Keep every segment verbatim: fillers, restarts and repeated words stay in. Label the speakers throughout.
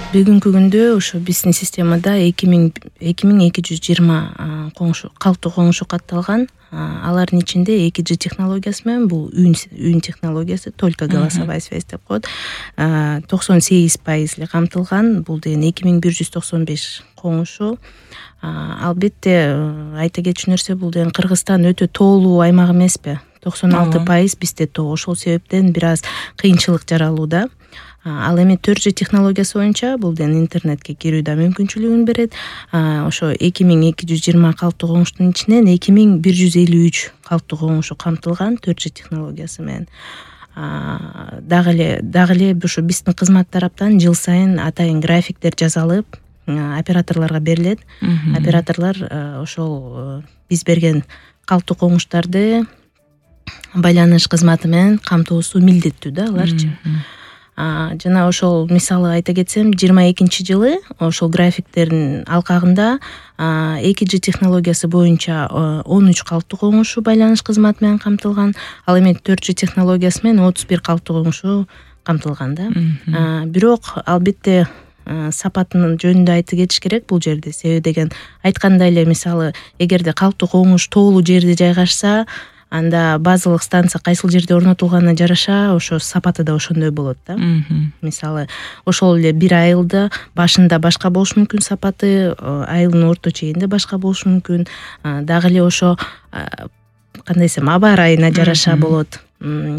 Speaker 1: Бүгүнкү күндө ошо биздин системада эки миң эки жүз жыйырма коңшу калктуу коңшу катталган. Алардын ичинде эки джи технологиясы менен бул үн үн технологиясы, только голосовая связь деп коет, токсон сегиз пайыз эле камтылган. Бул деген эки миң бир жүз токсон беш коңшу. Албетте айта кетчү нерсе, бул деген Кыргызстан өтө тоолуу аймак эмеспи? токсон алты пайыз бизде тоо. Ошол себептен бир аз кыйынчылык жаралууда. Ал эми төрт джи технологиясы боюнча бул деген интернетке кирүү да мүмкүнчүлүгүн берет. Ошо эки миң эки жүз жыйырма калктуу коңуштун ичинен эки миң бир жүз элүү үч калктуу коңушу камтылган төрт джи технологиясы менен. Дагы эле дагы эле ушу биздин кызмат тараптан жыл сайын атайын графиктер жасалып, операторлорго берилет. Операторлор ошол биз берген калктуу коңуштарды байланыш кызматы менен камтуусу милдеттүү да аларчы. Жана ошол мисалы айта кетсем, жыйырма экинчи жылы ошол графиктердин алкагында эки джи технологиясы боюнча он үч калктуу коңушу байланыш кызматы менен камтылган. Ал эми төрт джи технологиясы менен отуз бир калктуу коңушу камтылган да. Бирок албетте сапатынын жөнүндө айтып кетиш керек бул жерде. Себеби деген айткандай эле, мисалы, эгерде калктуу коңуш тоолуу жерде жайгашса, анда базалык станция кайсыл жерде орнотулганына жараша ошо сапаты да ошондой болот да. Мисалы, ошол эле бир айылда башында башка болушу мүмкүн сапаты, айылдын орто чегинде башка болушу мүмкүн. Дагы эле ошо кандай десем, аба ырайына жараша болот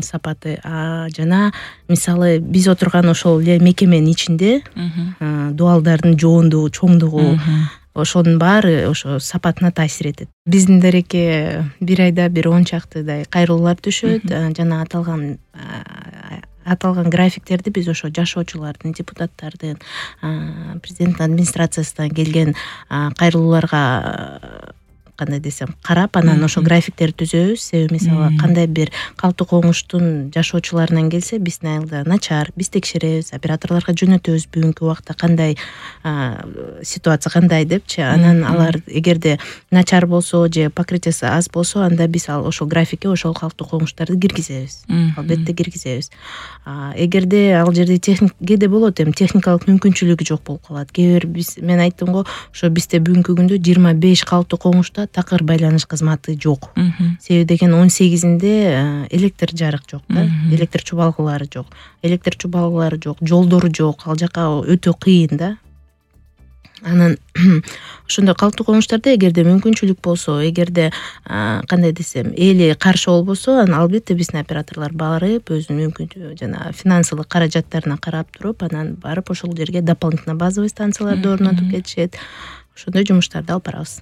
Speaker 1: сапаты. Жана мисалы биз отурган ошол эле мекеменин ичинде дуалдардын жоондугу, чоңдугу, ошонун баары ошо сапатына таасир этет. Биздин дарекке бир айда бир он чактыдай кайрылуулар түшөт. Жана аталган аталган графиктерди биз ошо жашоочулардын, депутаттардын, президенттин администрациясынан келген кайрылууларга кандай десем карап, анан ошо графиктерди түзөбүз. Себеби мисалы кандай бир калктуу коңуштун жашоочуларынан келсе, биздин айылда начар, биз текшеребиз, операторлорго жөнөтөбүз бүгүнкү убакта кандай ситуация кандай депчи. Анан алар эгерде начар болсо же покрытиясы аз болсо, анда биз ал ошол графикке ошол калктуу коңуштарды киргизебиз. Албетте киргизебиз. Эгерде ал жерде техник кээде болот, эми техникалык мүмкүнчүлүгү жок болуп калат. Кээ бир биз мен айттым го, ошо бизде бүгүнкү күндө жыйырма беш калктуу коңушта такыр байланыш кызматы жок. Себеби деген он сегизинде электр жарык жок да, электр чубалгылары жок. Электр чубалгылары жок, жолдору жок. Ал жака өтө кыйын да. Анан ошондой калктуу коңуштарда эгерде мүмкүнчүлүк болсо, эгерде кандай десем, эли каршы болбосо, анан албетте биздин операторлор барып, өзүнүн мүмкүнчүлүгү жана финансылык каражаттарына карап туруп, анан барып ошол жерге дополнительно базовый станцияларды орнотуп кетишет. Ошондой жумуштарды алып барабыз.